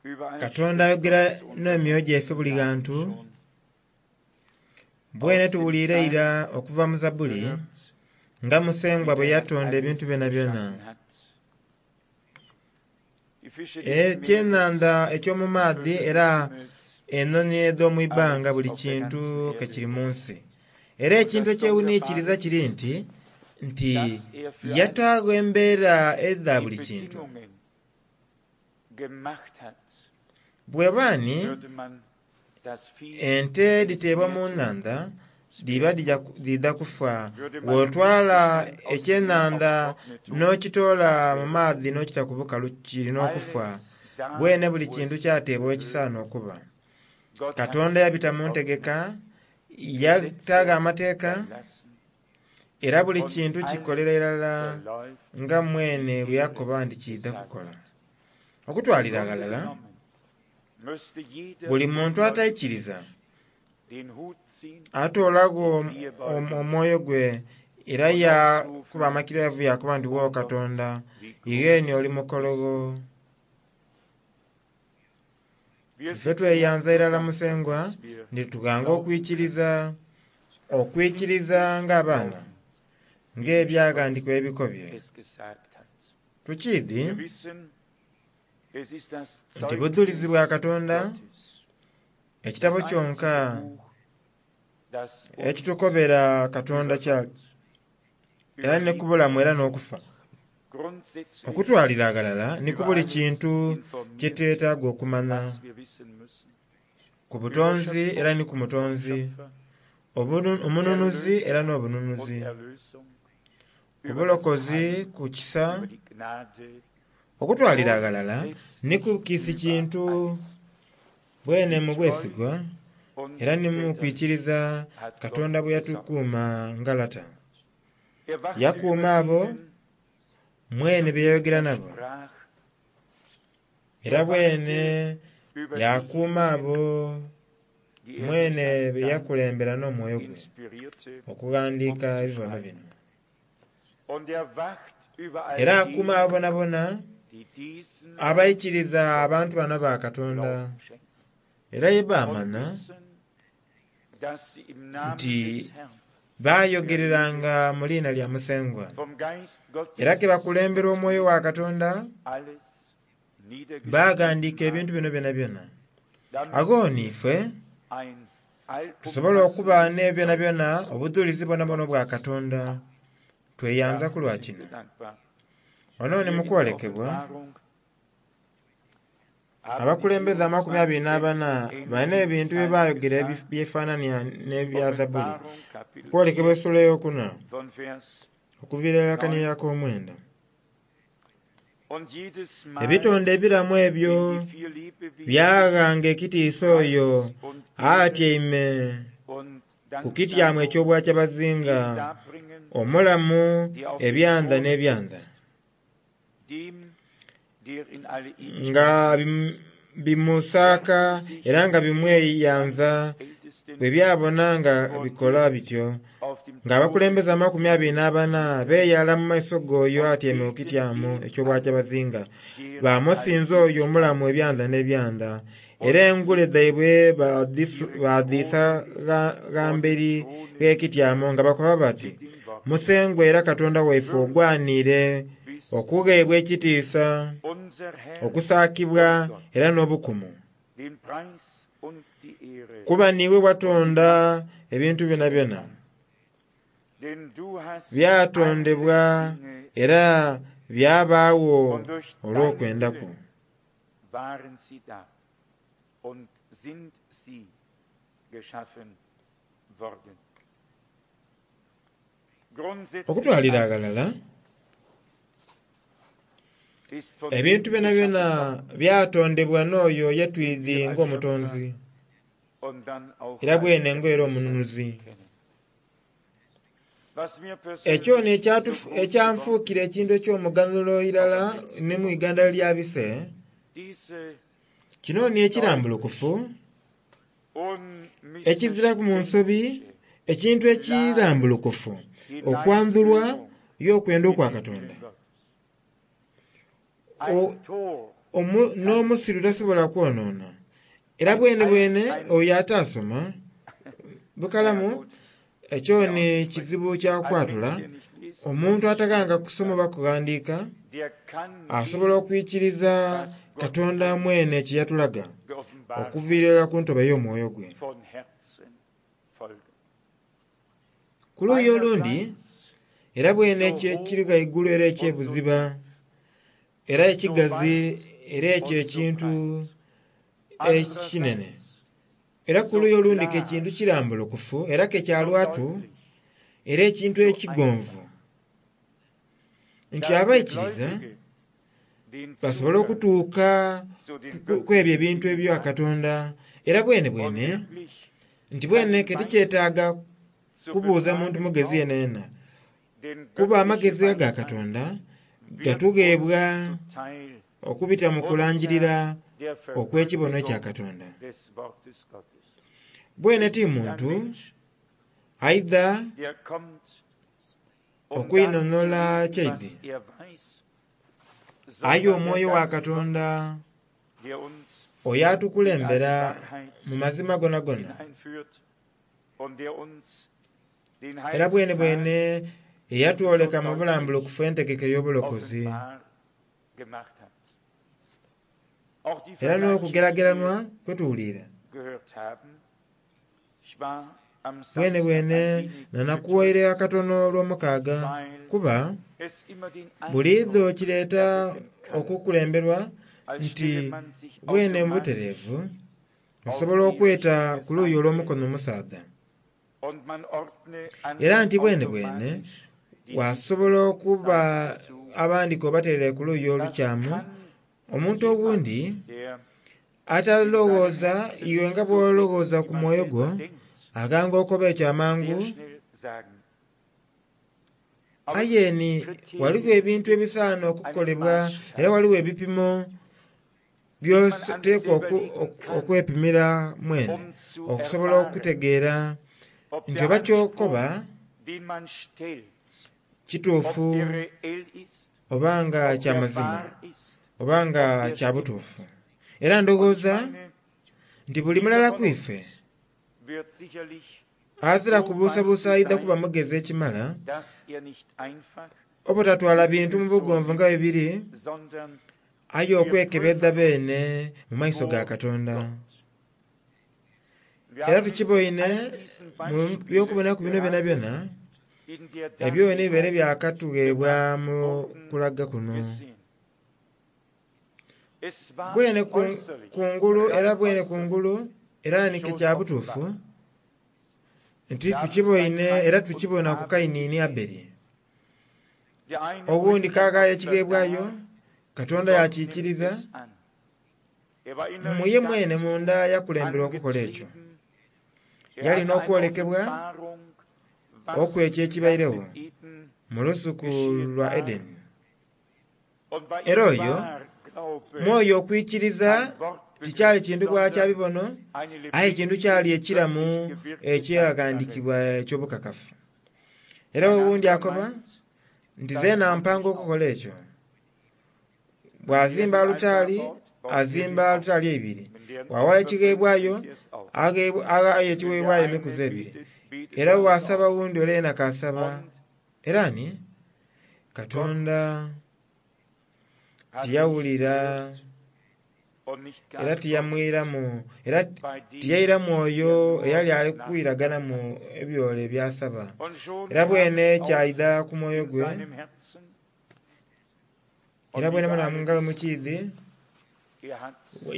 Überall Katonda spricht ayogera Gott zu uns n'emyoyo gyaife buli Wir ghantu schon bwene aus dem tuwuliire Psalm ira okuva mu Zabbuli gehört, nga Musengwa wie bwe der Herr yatonda ebintu alles byonabyona. geschaffen hat. Die Fische des Meeres, Ekyenhandha eky'omu die maadhi Vögel des era Himmels, enhonhi edh'omu ibbanga alles buli auf der kintu ganzen ke Erde. kiri mu nsi. Era Und ekintu das ekyewuniikiriza Sonderbare kiri ist, nti nti dass er für alles yataagho embeera edha die buli kintu. Bedingungen gemacht hat. Bw'eba ni Würde man das Vieh ente ins dhiteebwa Meer mu tun, nnhandha es dhiba wäre tot. dhidha kufa. Würde man den Bw'otwala Gegenstand aus dem Meer aufs ekyenhandha Trockene tun, n'okitoola es mu wäre maadhi tot. n'okita ku bukalu kirina okufa. Alles da, Bwene buli wo kintu es kyateebwa ekisaana hingehört. okuba. Gott hat Katonda yabita mu ntegeka, Ordnung, yataagho Gesetze amateeka, erlassen era buli und kintu kikolera alles irala verläuft, nga mwene bwe wie er yakoba es nti kiidha gesagt kukola. hat. Im Okutwalira Grunde aghalala, genommen müsste jeder buli muntu ungläubige ataikiriza den Hut ziehen, atoolagho die Knie omwoyo gwe era und yakuba ausrufen, amakirevu yakoba nti wo O Gott, Katonda wie igheeni groß oli bist mukologho. du. Wir Ife sind Herrn tweyanza so irala dankbar, Musengwa dass wir nti tughanga glauben können. okwikiriza, Nicht okwikiriza wir ng'abaana glauben, wie die ng'ebyaghandiikibwa Schrift ebikobye. es gesagt hat. Tukiidhi Wir wissen, es ist das nti budhulizi bwa Zeugnis Katonda Gottes, ekitabo das kyonka einzige Buch, das uns ekitukobera Katonda über kyali Gott, era über ni ku Liebe bulamu era n'okufa. grundsätzlich Okutwalira aghalala ni ku über buli alles kintu kye informiert, twetaaga okumanya was wir wissen müssen. ku Über butonzi era Schöpfung ni ku und mutonzi, Schöpfer, omununuzi era Erlöser und n'obununuzi, Erlösung, ku über das bulokozi, Heil, ku kisa, über die Gnade, okutwalira aghalala ni grundsätzlich ku kiisi über kintu alles. bwene mu Mit Treu bwesigwa und era ni mu Väterlichkeit kwikiriza hat Gott Katonda bwe gesorgt. yatukuuma nga lata. Er wachte Yakuuma über abo denen, mwene zu bye denen yayogera er nabo, sprach. era Er bwene wachte über yakuuma abo diejenigen, die er durch mwene seinen bye Geist yakulembera n'omwoyo gwe inspirierte, okughandiika um zu ebibono schreiben. bino. Und er wacht über all Era akuuma abo denen, bonabona die diesen abaikiriza abantu bano ba Katonda Glauben schenken era ye und baamanya wissen, dass sie im Namen nti des Herrn baayogereranga mu liina lya Musengwa vom Geist era ke Gottes bakulembera omwoyo wa Katonda alles niedergeschrieben baaghandiika ebintu haben, bino byonabyona. damit Agho ni wir ife ein tusobola okuba allumfassendes n'ebyo byonabyona Zeugnis obudhulizi bwonabwona obwa Gottes Katonda haben. tweyanza Da ku lwa sind kino. wir dankbar. Wano ni Hier mu in der kwolekebwa Offenbarung haben die abakulembeze amakumi abiri 24 n'abana Ältesten balina ähnliche ebintu bye Psalmen baayogera gesagt. byefaananya n'ebya Zabbuli. Offenbarung Kapitel Kwolekebwa 4 essula ey'okuna von Vers okuviira irala 9. kaniyak'omwenda. Und jedes Mal, Ebitonde ebiramu ebyo wenn die vier Lebewesen byaghanga ekitiisa oyo Preis und Ehre atyaime und ku kityamu Danksagung eky'obwakyabazinga dem darbringen, omulamu der auf dem ebyanda Throne n'ebyanda sitzt, dem, der in alle nga Ewigkeit lebt. bimusaaka Werfen sich era nga die bimweyanza 24 Ältesten bwe byabona nga vor bikola dem bityo auf dem Thron ng'abakulembeze amakumi abiri sitzenden n'abana beeyala mu maiso g'oyo und atyaime ku beten kityamu den an, eky'obwakyabazinga der in alle baamusinza oyo omulamu Ewigkeit ebyanda n'ebyanda lebt era und engule fielen dhaibwe ihre baadhiisa Kronen gha vor dem mberi Throne gh'ekityamu nga bakoba bati mit den Worten, Musengwa era Katonda waife Würdig ogwaniire bist okugheebwa du, ekitiisa unser Herr okusaakibwa und Gott, era n'obukumu den Preis und die Ehre kuba niiwe und die watonda Macht ebintu zu byonabyona empfangen. Denn du hast alle byatondebwa Dinge era geschaffen, byabaagho und durch deinen olw'okwenda kwo. Willen waren sie da und sind sie geschaffen worden. Grundsätzlich Okutwalira alles aghalala ist von ebintu ihm byonabyona geschaffen worden, byatondebwa n'oyo den ye wir twidhi als Schöpfer ng'omutonzi und dann auch era als bwene ng'era Erlöser omununuzi. kennen. Was mir Ekyo persönlich so groß geworden ekyanfuukira ekintu ist, eky'omuganyulo auch irala am letzten ne mu Wochenende, Uganda lyabise diese kino ni ekirambulukufu ekiziraku mu nsobi unmissverständliche, ekintu klare ekirambulukufu okwandhulwa Hineinführung y'okwenda in okwa den Katonda Willen Gottes. Ein Tor N'omusiru tasobola kwonoona. Era bwene bwene oyo ataasoma bukalamu ekyo ni kizibu kya kwatula. Omuntu ataghanga kusoma oba kughandiika asobola okwikiriza Katonda mwene kye yatulaga okuviira irala ku ntobo ey'omwoyo gwe. Ku luuyi olundi, era bwene ekyo ekiri ghaigulu era eky'ebuziba era ekigazi era ekyo ekintu ekinene. Era ku luuyi olundi ke kintu kirambulukufu era ke kya lwatu era ekintu ekigonvu nti abaikiriza basobole okutuuka ku ebyo ebintu ebya Katonda era bwene bwene nti bwene ke tikyetaaga kubuuza muntu mugezi yenayena kuba amagezi aga Katonda gatugheebwa okubita mu kulangirira okw'ekibono kya Katonda. Bwene ti muntu aidha okwinhonhola kyaidhi, aye omwoyo wa Katonda oyo atukulembera mu mazima gonagona. Era bwene bwene eyatwoleka mu bulambulukufu entegeka ey'obulokozi. Era n'okugerageranwa kwe tuwulira. Bwene bwene nanakuwaire akatono olw'omukaaga kuba buliidho kireeta okukulemberwa nti bwene mu butereevu osobola okweta ku luuyi olw'omukono omusaadha. Era nti bwene bwene wasobola okuba abandi k'obateere ku luuyi olukyamu, omuntu oghundi atalowooza iwe nga bw'olowooza ku mwoyo gwo aghanga okoba ekyo amangu. Aye ni ghaligho ebintu ebisaana okukolebwa era ghaligho ebipimo by'oteekwa okwepimira mwene okusobola okutegeera nti oba ky'okoba kituufu oba nga kya mazima oba nga kya butuufu. Era ndowooza nti buli mulala ku ife azira kubuusabuusa aidha kuba mugezi ekimala obutatwala bintu mu bugonvu nga bwe biri aye okwekebedha beene mu maiso ga Katonda. Era tukiboine mu by'okubonaku bino byonabyona ebyo ni bibaire byakatugheebwa mu kulaga kuno. Bwene kungulu era bwene kungulu era ni ke kya butuufu nti tukiboine era tukibona ku Kaini ni Abeli. Oghundi kaghaayo ekigheebwayo Katonda yakiikiriza mu ye mwene munda yakulemberwa okukola ekyo. Yali n'okwolekebwa okw'ekyo ekibairegho mu lusuku lwa Edeni. Era oyo mwoyo okwikiriza tikyali kintu bwa kya bibono aye kintu kyali ekiramu ekyaghandiikibwa eky'obukakafu. Era owundi akoba nti zeena mpanga okukola ekyo. Bw'azimba alutaari, azimba alutaari eibiri. Bw'awaayo ekigheebwayo, aghaayo ekigheebwayo emikuzi ebiri. Era bw'asaba owundi ole yeena k'asaba. Era ni Katonda tiyawulira era tiyamwiramu era tiyairamu oyo eyali ali kwiraganamu ebyole by'asaba. Era bwene kyaidha ku mwoyo gwe era bwene bwene nga bwe mukiidhi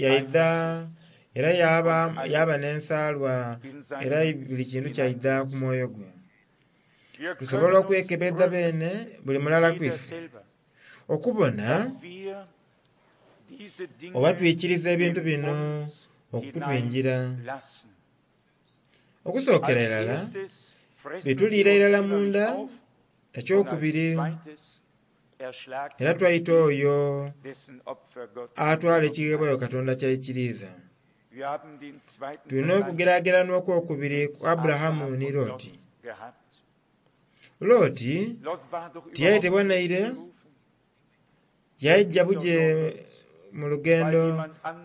yaidha era yaba n'ensaalwa era buli kintu kyaidha ku mwoyo gwe. Tusobola okwekebedha beene buli mulala ku ife okubona oba twikiriza ebintu bino okutwingira. Okusookera irala bituliira irala munda, ekyokubiri era twaita oyo atwala ekigheebwayo Katonda ky'aikiriiza. Tulina okugeragerana okwokubiri ku Aburahamu ni Loti. Loti tiyayetebwa naire, yaija buje mu lugendo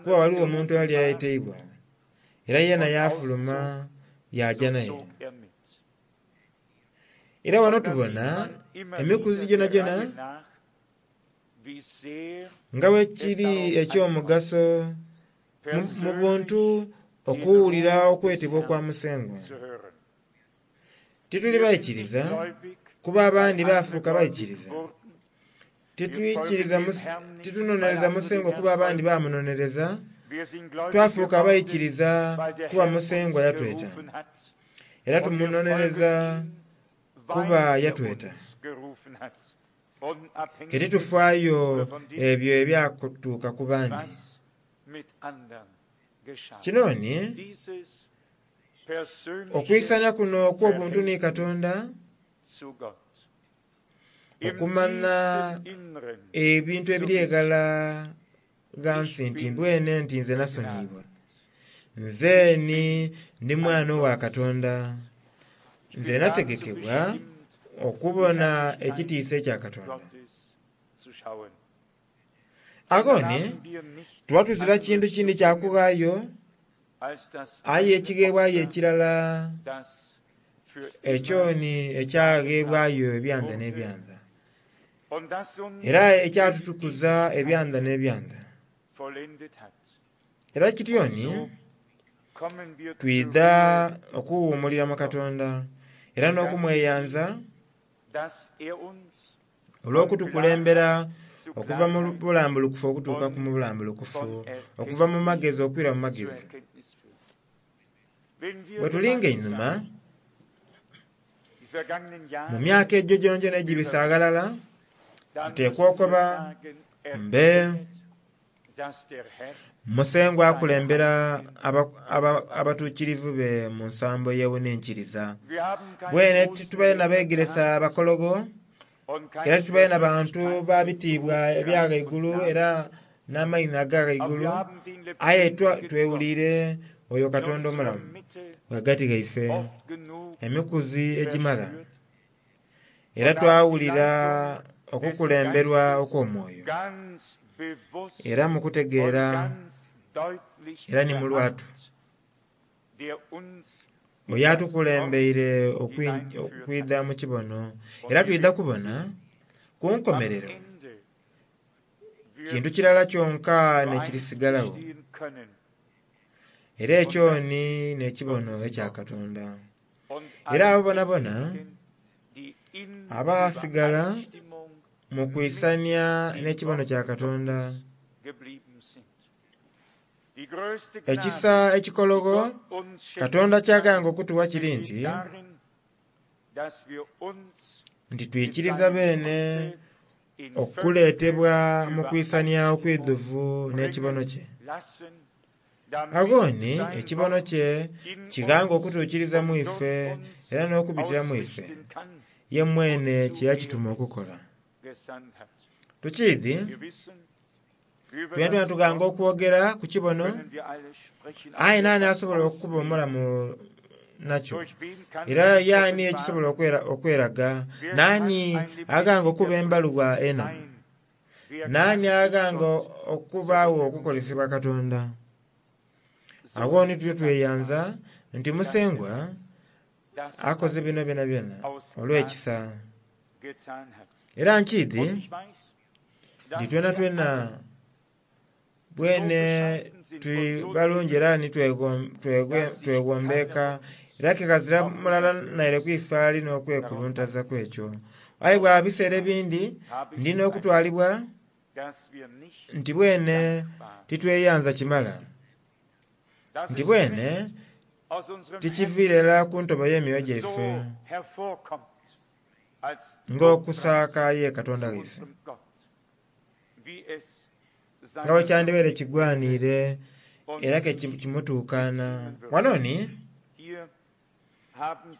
kuba ghaligho omuntu eyali ayeteibwa era yeena yaafuluma yaaja naye. Era ghano tubona emikuzi gyonagyona nga bwekiri eky'omugaso mu buntu okuwulira okwetebwa okwa Musengwa. Tituli baikiriza kuba abandi bafuuka baikiriza. Titunonereza Musengwa kuba abandi bamunonereza. Twafuuka abaikiriza kuba Musengwa yatweta. Era tumunonereza kuba yatweta. Ke titufaayo ebyo ebyatuuka ku bandi. Kino ni okwisania kuno okw'obuntu ni Katonda, okumanya ebintu ebiri eghala ghansi nti mbwene nti nze nasoniyibwa. Nze ni ndi mwana owa Katonda. Nze nategekebwa okubona ekitiisa ekya Katonda. Agho ni tuba tuzira kintu kindi kya kughaayo aye ekigheebwayo ekirala ekyo ni ekyagheebwayo ebyanda n'ebyanda era ekyatutukuza ebyanda n'ebyanda. Era kityo ni twidha okuwuumulira mu Katonda era n'okumweyanza olw'okutukulembera okuva mu bulambulukufu okutuuka ku bulambulukufu, okuva mu magezi okwira mu magezi. Bwe tulinga einhuma mu myaka egyo gyonagyona egibisa aghalala, tuteekwa okuba mbe Musengwa akulembera abatuukirivu be mu nsambo ey'ewuninkiriza. Bwene titubaire na begeresa bakologo era titubaire na bantu ba bitiibwa ebya ghaigulu era n'amaina aga ghaigulu, aye twewuliire oyo Katonda omulamu ghagati ghaife emikuzi egimala. Era twawulira okukulemberwa okw'omwoyo era mu kutegeera era ni mu lwatu. Oyo atukulembeire okwidha mu kibono era twidha kubona ku nkomerero kintu kirala kyonka n'ekirisigalagho, era ekyo ni n'ekibono ekya Katonda. Era abo bonabona abasigala mu kwisania n'ekibono kya Katonda, ekisa ekikologho Katonda ky'aganga okutuwa kiri nti nti twikiriza beene okuleetebwa mu kwisania okwidhuvu n'ekibono kye. Agho ni ekibono kye kighanga okutuukiriza mu ife era n'okubitira mu ife ye mwene kye yakituma okukola. Tukiidhi twenatwena tughanga okwogera ku kibono, aye naani asobola okuba omulamu nakyo? Era yaani ekisobola okweraga? Naani aghanga okuba embaluwa enamu? Naani aghanga okubaagho okukolesebwa Katonda? Agho ni tutyo tweyanza nti Musengwa akoze bino byonabyona olw'ekisa. Era nkiidhi nti twenatwena bwene tuli balungi era ni twegombeeka era ke ghazira mulala naire ku ife ali n'okwekuluntaza ku ekyo. Aye bwa biseera ebindi ndi n'okutwalibwa nti bwene titweyanza kimala, nti bwene tikiviire irala ku ntobo y'emyoyo gyaife ng'okusaaka ye Katonda waife, nga bwe kyandibaire kigwaniire era ke kimutuukaana. Wano ni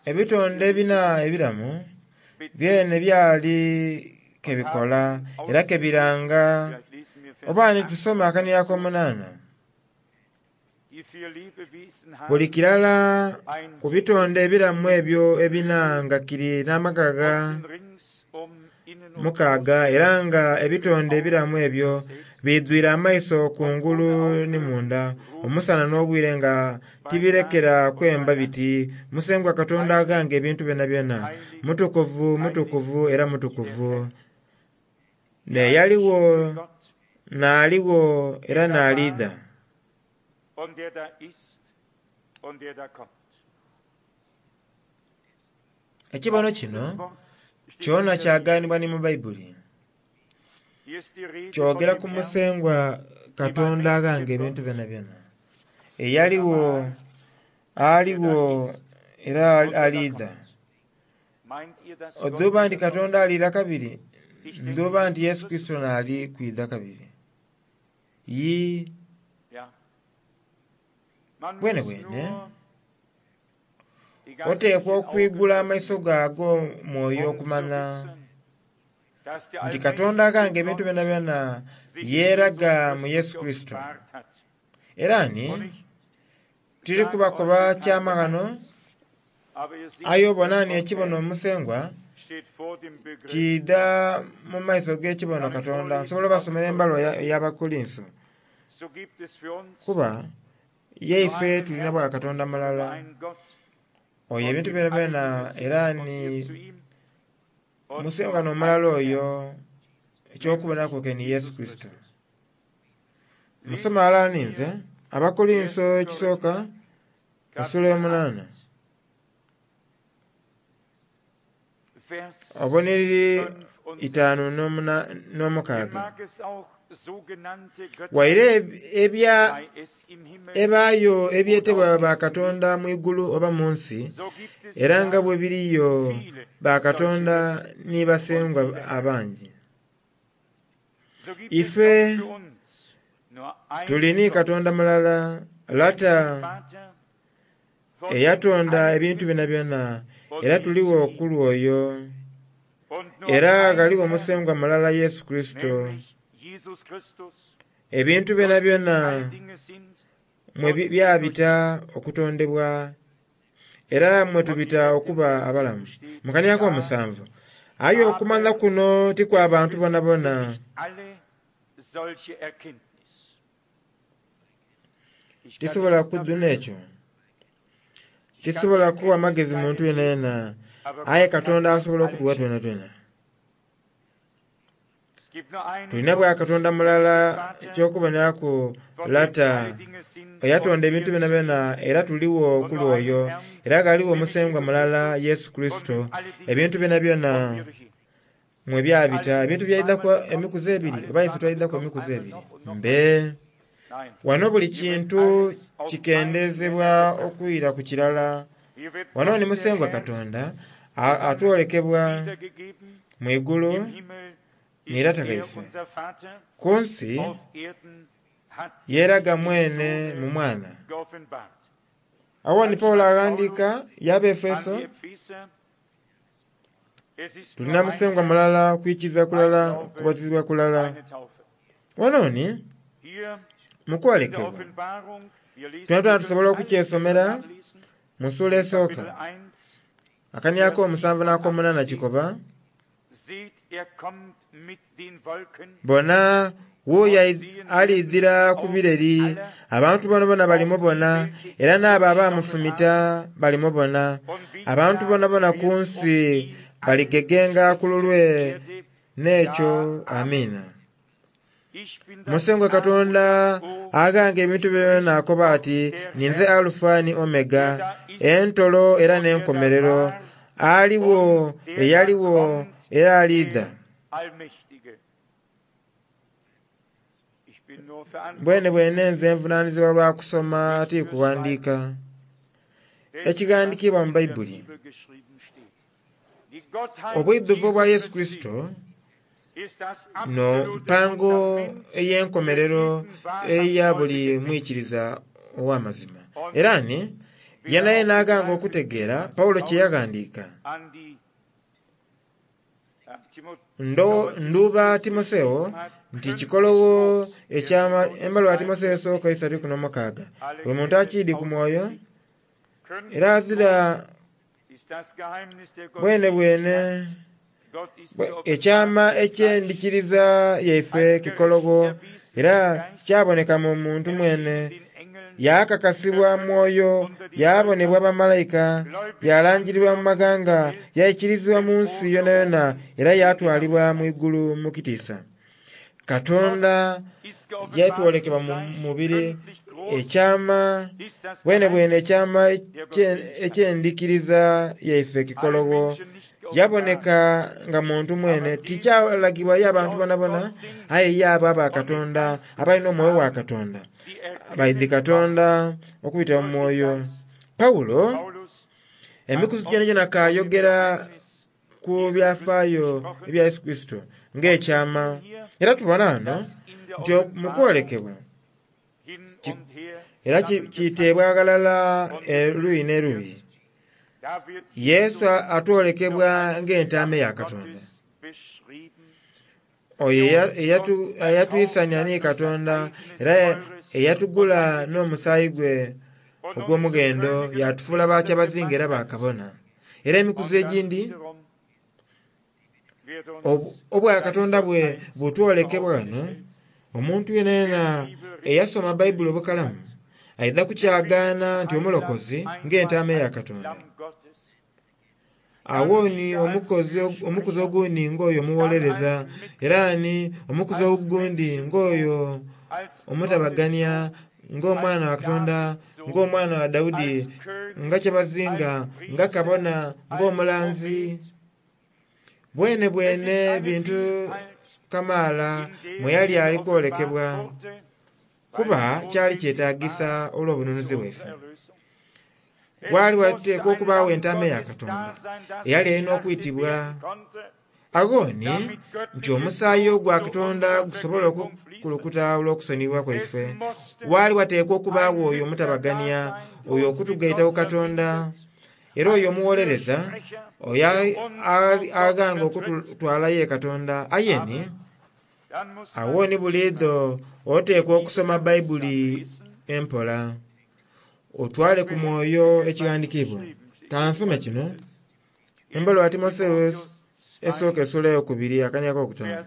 ebitonde ebina ebiramu byene byali ke bikola era ke biranga. Oba ni tusome akanhiriro ak'omunaana. Buli kirala ku bitonde ebiramu ebyo ebina nga kiri n'amaghagha. mukaaga era nga ebitonde ebiramu ebyo biidhwire amaiso kungulu ni munda, omusana n'obwire nga tibirekera kwemba biti, Musengwa Katonda Aghanga Ebintu Byonabyona, mutukuvu, mutukuvu era mutukuvu. N'eyaligho, n'aligho era n'aliidha. Ekibono kino kyona kyagaanibwa ni mu Baibuli. Kyogera ku Musengwa Katonda Aghanga Ebintu Byonabyona, eyaligho, aligho era aliidha. Odhuuba nti Katonda aliira kabiri? Ndhuuba nti Yesu Kurisito naali kwidha kabiri. Yii, bwenebwene oteekwa okwigula amaiso go ag'omwoyo okumanya nti Katonda Aghanga Ebintu Byonabyona yeeraga mu Yesu Kurisito. Era ni tiri kubakoba kyama ghano, aye obona ni ekibono Musengwa kiidha mu maiso g'ekibono Katonda. Nsobola obasomera embaluwa ey'Abakolinso, kuba yaife tulina bwa Katonda mulala. Oyo ebintu byonabyona era ni Musengwa n'omulala oyo, eky'okubonaku ke ni Yesu Kurisito. Musome ghalala ninze Abakolinso ekisooka esula yomunaana obunhiriri itaanu n'omukaaga. Waire ebya ebaayo ebyetebwa bakatonda mu igulu oba mu nsi, era nga bwe biriyo bakatonda ni basengwa abangi. Ife tuli ni Katonda mulala, Lata, eyatonda ebintu byonabyona, era tuligho ku lw'oyo. Era ghaligho Musengwa mulala Yesu Kurisito. Ebintu byonabyona mwe byabita okutondebwa, era mwe tubita okuba abalamu. Mu kania ak'omusanvu, aye okumanha kuno ti kwa bantu bonabona. Tisobola kudhuna ekyo. Tisobola kuwa magezi muntu yenayena, aye Katonda asobola okutuwa twenatwena. Tulina bwa Katonda mulala eky'okuboneraku Lata eyatonda ebintu byonabyona era tuligho ku lw'oyo, era ghaligho Musengwa mulala Yesu Kurisito, ebintu byonabyona mwe byabita. Ebintu byaidhaku emikuzi ebiri oba ife twaidhaku emikuzi ebiri? Mbe. Wano buli kintu kikendezebwa okwira ku kirala. Wano ni Musengwa Katonda atwolekebwa mu igulu ni Lata ghaife. Ku nsi yeeraga mwene mu Mwana. Agho ni Paulo aghandiika y'Abaefeso, Tulina Musengwa mulala, kwikiriza kulala, kubatizibwa kulala. Wano ni mu kwolekebwa twenatwena tusobola okukyesomera mu ssuula esooka, akania ak'omusanvu n'akomunaana kikoba, Bona, wuuyo aliidhira ku bireri, abantu bonabona balimubona, era n'abo abamufumita balimubona. Abantu bonabona ku nsi baligegenga ku lulwe n'ekyo. Amiina. Musengwa Katonda Aghanga Ebintu byonabyona akoba ati, Ninze Alufa ni Omega, entolo era n'enkomerero, aligho, eyaligho, era aliidha. Bwenebwene nze nvunanizibwa lwa kusoma ti kughandiika ekighandikiibwa mu Baibuli. Obwidhuvu obwa Yesu Kurisito no mpango ey'enkomerero eya buli mwikiriza ow'amazima. Era ni yenayena aghanga okutegeera Paulo kye yaghandiika. Ndhuuba Timotheo nti kikologho ekyama embaluwa ya Timotheo esooka isatu ikumi n'omukaaga. Buli muntu akiidhi ku mwoyo era azira bwenebwene. Ekyama eky'endhikiriza yaife kikologo era kyaboneka mu muntu mwene, yakakasibwa mwoyo, yabonebwa bamalayika, yalangirirwa mu maghanga, yaikirizibwa mu nsi yonayona, era yatwalibwa mu igulu mu kitiisa. Katonda yatwolekebwa mu mubiri, ekyama bwenebwene ekyama eky'endhikiriza yaife kikologo yaboneka nga muntu mwene, tikyalagibwa ye abantu bonabona, aye ye abo aba Katonda abalina omwoyo wa Katonda baidhi Katonda okubitira mu mwoyo. Pawulo emikuzi gyonagyona kayogera ku byafaayo ebya Yesu Kristo ng'ekyama, era tubona ghano nti mu kwolekebwa era kiteebwa ghalala eruyi n'eruyi. Yesu atwolekebwa ng'entaama eya Katonda, oyo eyatwisania ni Katonda era eyatugula n'omusaayi gwe ogw'omughendo, yatufuula bakyabazinga era bakabona. Era emikuzi egindi obwakatonda bwe butwolekebwa ghano, omuntu yenayena eyasoma Bayibuli obukalamu aidha kukyagaana nti omulokozi ng'entaama eya Katonda. Agho ni omukuzi ogundi ng'oyo omuwolereza, era ni omukuzi ogundi ng'oyo omutabagania, ng'omwana wa Katonda, ng'omwana wa Daudi, nga kyabazinga, nga kabona, ng'omulanzi. Bwene bwene bintu kamaala mwe yali ali kwolekebwa, kuba kyali kyetagisa olw'obununuzi bwaife. Waali wateekwa okubaagho entaama eya Katonda eyali erina okwitibwa. Agho ni nti omusaayi ogwa Katonda gusobole okukulukuta olw'okusoniyibwa kwaife. Waali wateekwa okubaagho oyo omutabagania, oyo okutugaita ku Katonda, era oyo omuwolereza, oyo aghanga okututwala ye Katonda. Aye ni agho ni buliidho oteekwa okusoma Bayibuli empola, otwale ku mwoyo ekighandikiibwa. Kansome kino embaluwa ya Timotheo esooka esula eyokubiri akania akokutaanu.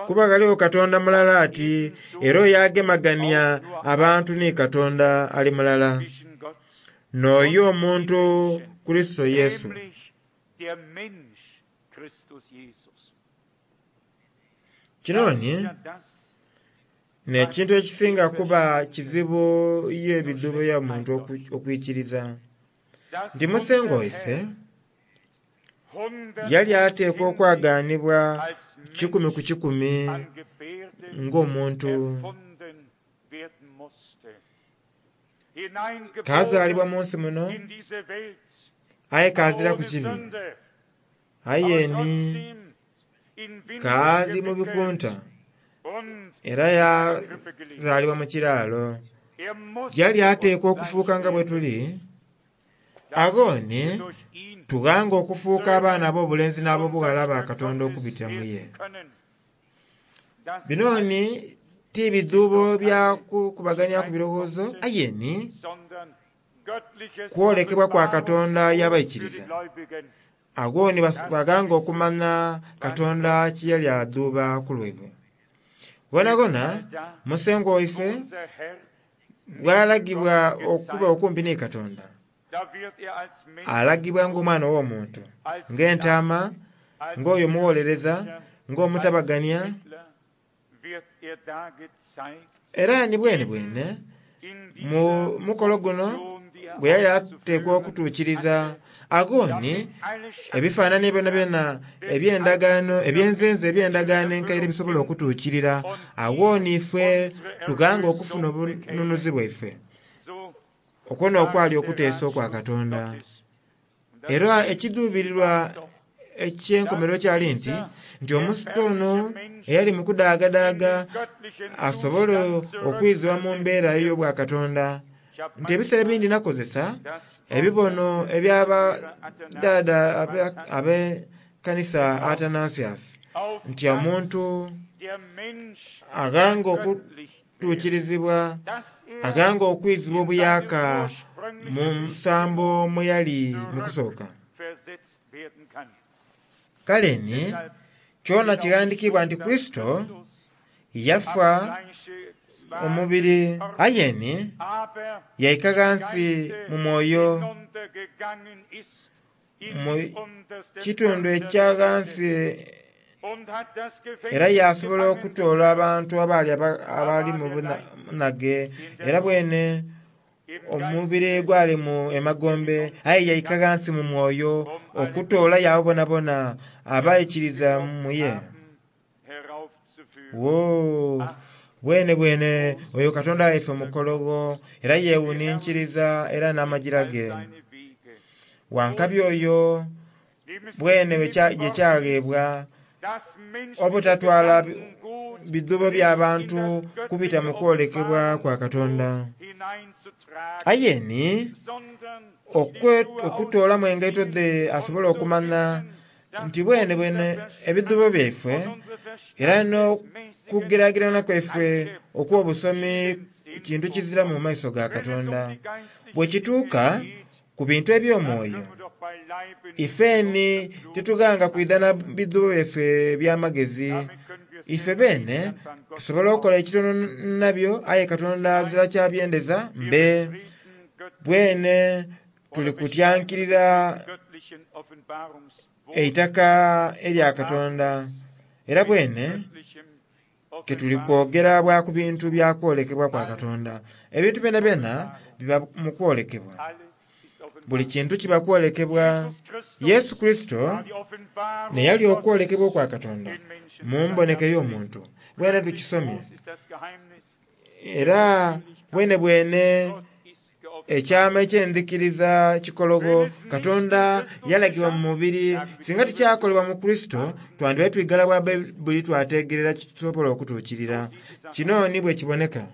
Kuba ghaligho Katonda mulala ati, era oyo agemagania abantu ni Katonda ali mulala, n'oyo omuntu Kurisito Yesu. Kino ni n'ekintu ekisinga kuba kizibu ye ebidhuubo bya muntu okwikiriza nti Musengwa waife yali ateekwa okwaganibwa 100 ku 100 ng'omuntu. Kazaalibwa mu nsi muno, aye kazira ku kibi, aye ni kaali mu bikunta era yazaalibwa mu kiraalo. Yali ateekwa okufuuka nga bwe tuli, agho ni tughanga okufuuka abaana ab'obulenzi n'ab'obughala ba Katonda okubitira mu ye. Bino ni ti bidhuubo bya kukubagania ku birowoozo, aye ni kwolekebwa kwa Katonda y'abaikiriza. Agho ni baghanga okumanya Katonda kye yali adhuuba ku lwaibwe. Ghonagona Musengwa waife bw'alagibwa okuba okumpi ni Katonda, alagibwa ng'omwana ow'omuntu, ng'entaama, ng'oyo omuwolereza, ng'omutabagania, era ni bwene bwene mu mukolo guno gwe yali ateekwa okutuukiriza. Agho ni ebifaananie byonabyona eby'endagaano, ebyenzenze eby'endagaano enkaire bisobola okutuukirira. Agho ni ife tughanga okufuna obununuzi bwaife. Okwo n'okwali okuteesa okwa Katonda. Era ekidhuubirirwa eky'enkomerero kyali nti nti omuntu ono eyali mu kudaagadaaga asobole okwizibwa mu mbeera ey'obwakatonda. Nti ebiseera ebindi nakozesa ebibono eby'abadaada ab'ekanisa Athanasius nti omuntu aghanga okutuukirizibwa, aghanga okwizibwa obuyaaka mu nsambo mwe yali mu kusooka. Kale ni kyona kighandiikibwa nti Kurisito yafa omubiri aye ni yaika ghansi mu mwoyo mu kitundu ekya ghansi era yasobola okutoola abantu abaali abali mu bunhage era bwene omubiri gwali mu emagombe aye yaika ghansi mu mwoyo okutoolayo abo bonabona abaikiriza mu ye. Woo! Bwene bwene oyo Katonda waife mukologho era yeewuninkiriza era n'amagira ge. Wankabi oyo bwene gye kyagheebwa obutatwala bidhuubo bya bantu kubita mu kwolekebwa kwa Katonda. Aye ni okutoolamu engaito dhe asobole okumanya nti bwene bwene ebidhuubo byaife era n'okugeragerana kwaife okw'obusomi kintu kizira mu maiso ga Katonda. Bwe kituuka ku bintu eby'omwoyo, ifeni titughanga kwidha na bidhuubo byaife eby'amagezi. Ife beene tusobola okukola ekitono nabyo aye Katonda azira kyabyendeza mbe. Bwene tuli kutyankirira eitaka erya Katonda era bwene ke tuli kwogera bwa ku bintu bya kwolekebwa kwa Katonda. Ebintu byonabyona biba mu kwolekebwa. Buli kintu kiba kwolekebwa. Yesu Kurisito neyali okwolekebwa okwa Katonda mu mboneka ey'omuntu. Bwene tukisomye era bwene bwene ekyama eky'endhikiriza kikologho Katonda yalagibwa mu mubiri. Singa tikyakolebwa mu Kurisito twandibaire twigala bwa Baibuli twategerera kisobola okutuukirira. Kino ni bwe kiboneka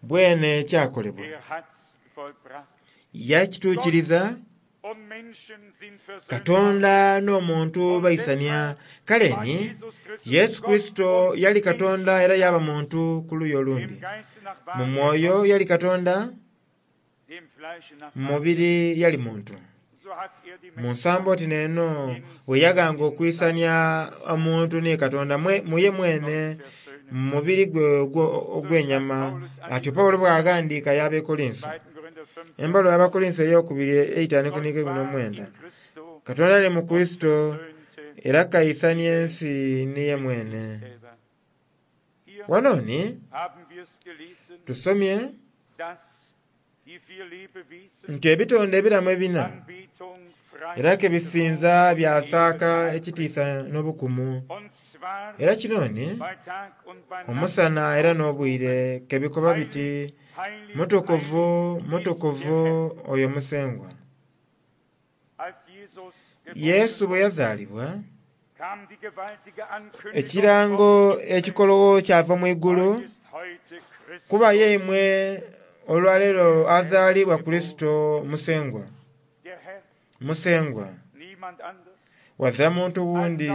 bwene kyakolebwa. Yakituukiriza. Katonda n'omuntu baisania. Kale ni Yesu Kurisito yali Katonda era yaba muntu ku luuyi olundi. Mu mwoyo yali Katonda, mu mubiri yali muntu. Mu nsambo oti n'eno bwe yaghanga okwisania omuntu ni Katonda muye mwene mu mubiri gwe ogw'enyama. Atyo Pawulo bw'aghandiika y'Abekolinso. Embaluwa y'Abakolinso ey'okubiri eitaanu ikumi n'omwenda. Katonda ali mu Kurisito era kaisania ensi niye mwene. Wano ni tusomye nti ebitonde ebiramu ebina era ke bisinza byasaaka ekitiisa n'obukumu. Era kino ni omusana era n'obwire ke bikoba biti, Mutukuvu, mutukuvu oyo Musengwa. Yesu bwe yazaalibwa, ekirango ekikologho kyava mu igulu, kuba ye imwe olwaleero azaalibwa Kurisito Musengwa. Musengwa. Wazira muntu wundi.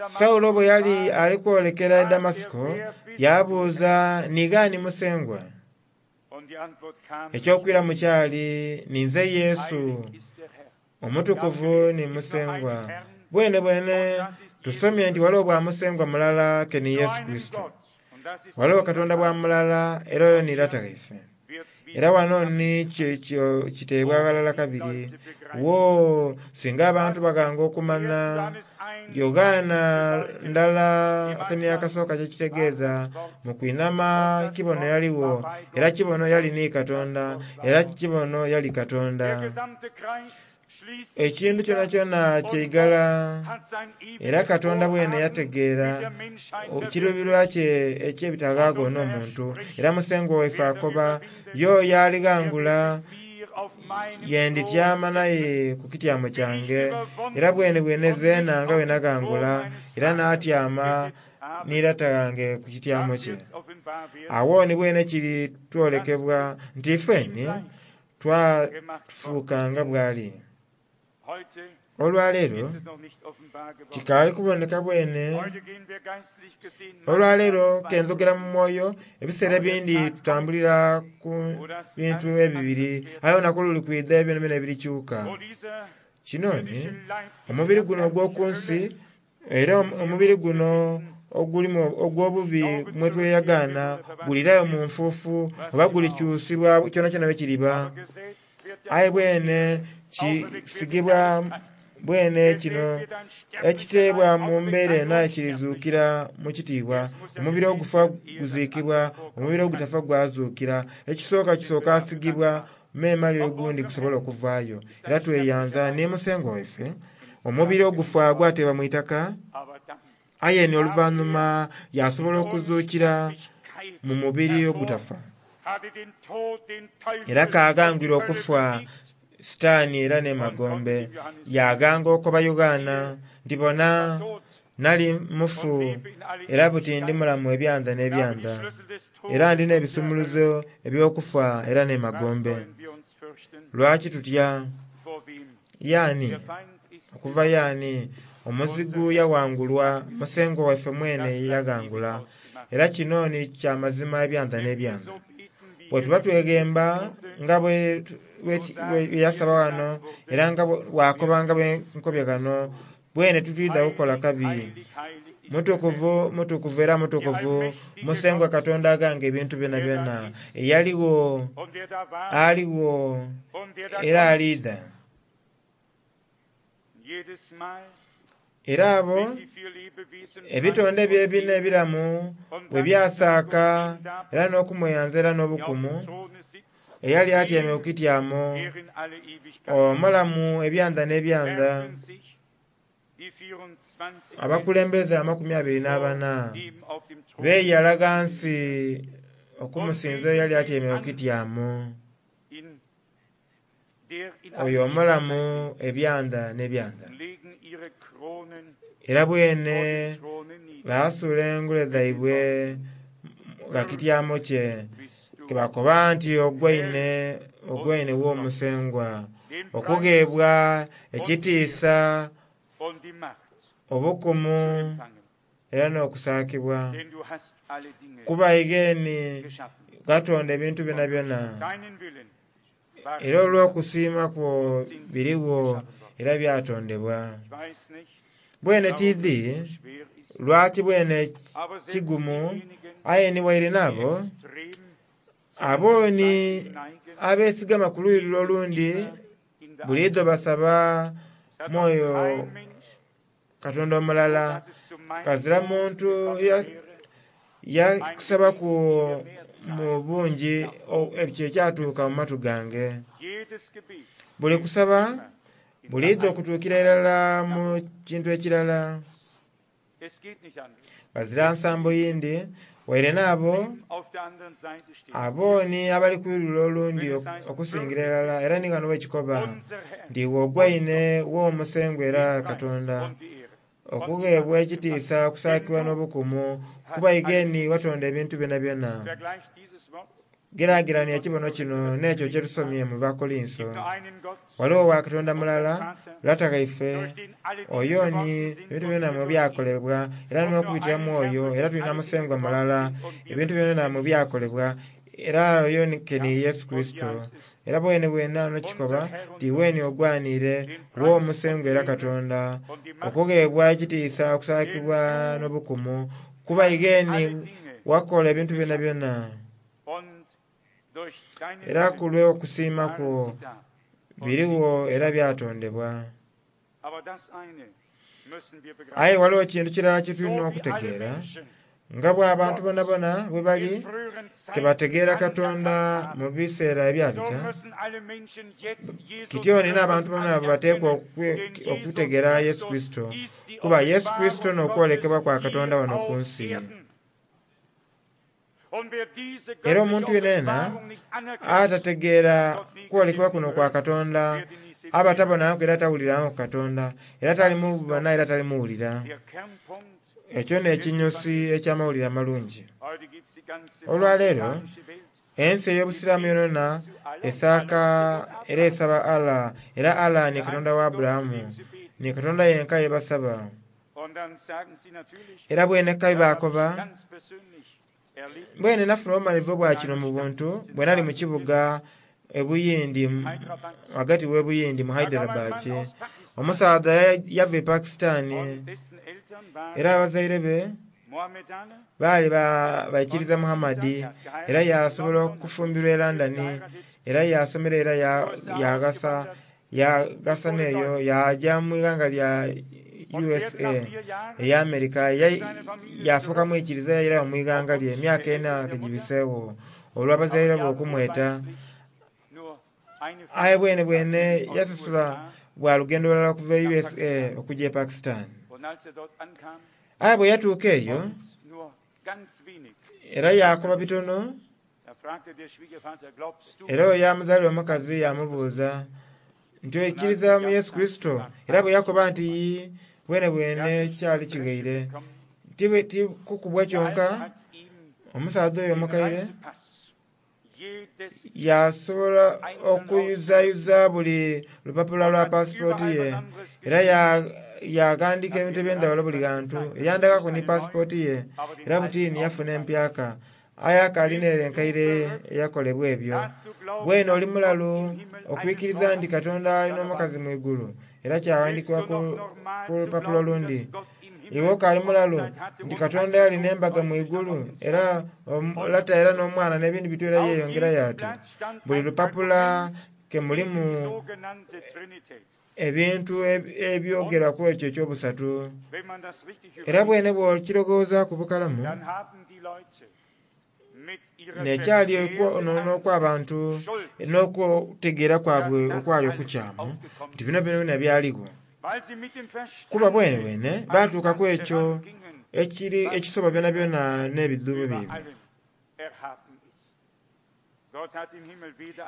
Saulo bwe yali ali kwolekera e Damasiko, yabuuza ni ghani Musengwa? Eky'okwiramu kyali, ninze Yesu, omutukuvu ni Musengwa. Bwene bwene tusomye nti waliwo bwa Musengwa mulala ke ni Yesu Kurisito. Waliwo Katonda bwa mulala era oyo ni Lata waife. Era wano ni kiteebwa ghalala kabiri. Woo! Singa abantu baghanga okumanya Yoghana ndala akeni akasooka kyekitegeeza mu kwinama kibono yaligho era kibono yali ni Katonda era kibono yali Katonda. Ekintu kyonakyona kyeigala era Katonda bwene yategeera ekiruubirirwa kye eky'ebitaghaagho n'omuntu. Era Musengwa waife akoba y'oyo alighangula ye ndityama naye ku kityamo kyange era bwene bwene zeena nga bwe naghangula era naatyama ni Lata ghange ku kityamo kye. Agho ni bwene kiri twolekebwa nti ifeni twafuuka nga bw'ali. Olwaleero kikaali kuboneka bwene. Olwaleero kenzogera mu mwoyo, ebiseera ebindi tutambulira ku bintu ebibiri, aye olunaku luli kwidha ebyo byonabyona ebirikyuka. Kino ni omubiri guno ogw'oku nsi era omubiri guno ogulimu ogw'obubi mwe tweyagaana gulirayo mu nfuufu oba gulikyusibwa kyonakyona bwe kiriba. Aye bwene kisigibwa bwene kino ekiteebwa mu mbeera eno aye kirizuukira mu kitiibwa. Omubiri ogufa guziikibwa, omubiri ogutafa gwazuukira. Ekisooka kisooka asigibwa memale ogundi gusobola okuvaayo. Era tweyanza ni Musengwa waife, omubiri ogufa gwateebwa mu itaka, aye ni oluvannyuma yasobola okuzuukira mu mubiri ogutafa. Era kaagangwire okufa Sitaani era n'emagombe. Yaaganga okoba Yoanna nti bona nali mufu era buti ndi mulamu ebyanda n'ebyanda, era ndina ebisumuluzo eby'okufa era n'emagombe. Lwaki tutya? Yaani okuva yaani omuzigu yawangulwa, Musengwa waife mwene yaghangula. Era kino ni kya mazima ebyanda n'ebyanda. Bwe tuba tweghemba nga bwe yasaba wano era nga bwakoba nga bwe nkobye ghano, bwene tutwidha kukola kabi. Mutukuvu, mutukuvu era mutukuvu, Musengwa Katonda aghanga ebintu byonabyona, eyaligho, aligho, era aliidha. Era abo ebitonde ebyo ebina ebiramu bwe byasaaka era n'okumweyanza era n'obukumu, eyali atyaime ku kityamo omulamu ebyanda n'ebyanda, abakulembeze 24 beeyala ghansi okumusinza eyali atyaime ku kityamo, oyo omulamu ebyanda n'ebyanda. Era bwene baasuula engule dhaibwe gha kityamo kye, kebakoba nti ogwaine, ogwaine w'Omusengwa, okugheebwa ekitiisa, obukumu era n'okusaakibwa. Kuba igeni Katonda ebintu byonabyona, era olw'okusiima kwo birigho era byatondebwa. Bwene tiidhi lwaki bwene kigumu, aye ni waire n'abo abo ni abeesigama ku luuyi lule olundi buliidho basaba mwoyo Katonda omulala. Kazira muntu yakusabaku mu bungi ekyo ekyatuuka mu matu gange. Buli kusaba buliidho okutuukira irala mu kintu ekirala. Ghazira nsambo yindi waire n'abo abo ni abali ku luuyi lule olundi okusingira irala. Era ni ghano wekikoba nti iwe ogwaine w'Omusengwa era Katonda, okugheebwa ekitiisa, okusaakibwa n'obukumu, kuba igeni watonda ebintu byonabyona. Geraagerania ekibono kino n'ekyo kye tusomye mu Bakolinso. Ghaligho wa Katonda mulala, Lata ghaife, oyo ni ebintu byona mwe byakolebwa, era n'okubitira mu oyo era tulina Musengwa mulala, ebintu byona mwe byakolebwa, era oyo ni Yesu Kurisito. Era bwene bwene ano kikoba nti iweni ogwaniire w'Omusengwa era Katonda, okugheebwa ekitiisa, okusaakibwa n'obukumu, kuba igeni wakola ebintu byonabyona. Era ku lw'okusiima kwo birigho era byatondebwa. Aye ghaligho kintu kirala kye tulina okutegeera, nga bw'abantu bonabona bwe bali tebategeera Katonda mu biseera ebyabita, kityo ni n'abantu bonabona bateekwa okutegeera Yesu Kurisito, kuba Yesu Kurisito n'okwolekebwa kwa Katonda wano ku nsi. Era omuntu yenayena atategeera kwolekebwa kuno kwa Katonda, aba tabonangaku era tawulirangaku Katonda, era talimubona era talimuwulira. Ekyo n'ekinyusi eky'amawulire amalungi. Olwaleero ensi ey'Obusiraamu yonayona esaaka era esaba Allah, era Allah ni Katonda wa Aburahamu. Ni Katonda yenka ye basaba. Era bwene kabi baakoba, bwene nafuna obumalirivu bwa kino mu buntu bwe nali mu kibuga Ebuyindi, ghagati w'Ebuyindi mu Hyderabad. Omusaadha yava e Pakistan era abazaire be baali baikiriza Muhammad era yasobola okufumbirwa e London era yasomera era yaghasa yaghasa n'eyo yaaja mu ighanga lya USA eya America yafuuka mwikiriza yairayo mu ighanga lye emyaka ena kegibiseegho olw'abazaire be okumweta. Aye bwene bwene yasasula bwa lugendo lulala okuva e USA okuja e Pakistan. Aye bwe yatuuka eyo era yaakoba bitono era oyo yamuzaalira omukazi yamubuuza nti oikiriza mu Yesu Kurisito? Era bwe yakoba nti ii, bwene bwene kyali kighaire. Ti kukubwa kyonka, omusaadha oyo omukaire yasobola okuyuzayuza buli lupapula lwa pasipooti ye era yaghandiika ebintu eby'endhaghulo buli ghantu. Yandhagaku ni pasipooti ye era butini yafuna empyaka. Aye akaali n'ere enkaire eyakolebwa ebyo. Bwene oli mulalu okwikiriza nti Katonda alina omukazi mu igulu era kyaghandiikibwa ku lupapula olundi. Iwe okaali mulalu nti Katonda yali n'embaga mu igulu era Lata era n'Omwana n'ebindi bityo era yeeyongerayo atyo. Buli lupapula ke mulimu ebintu ebyogera ku ekyo eky'obusatu. Era bwene bw'okirowoozaaku bukalamu, n'ekyali okwonoona okw'abantu n'okutegeera kwabwe okwali okukyamu, nti bino byonabyona byaligho. Kuba bwenebwene baatuuka ku ekyo ekiri ekisoba byonabyona n'ebidhuubo byaibwe.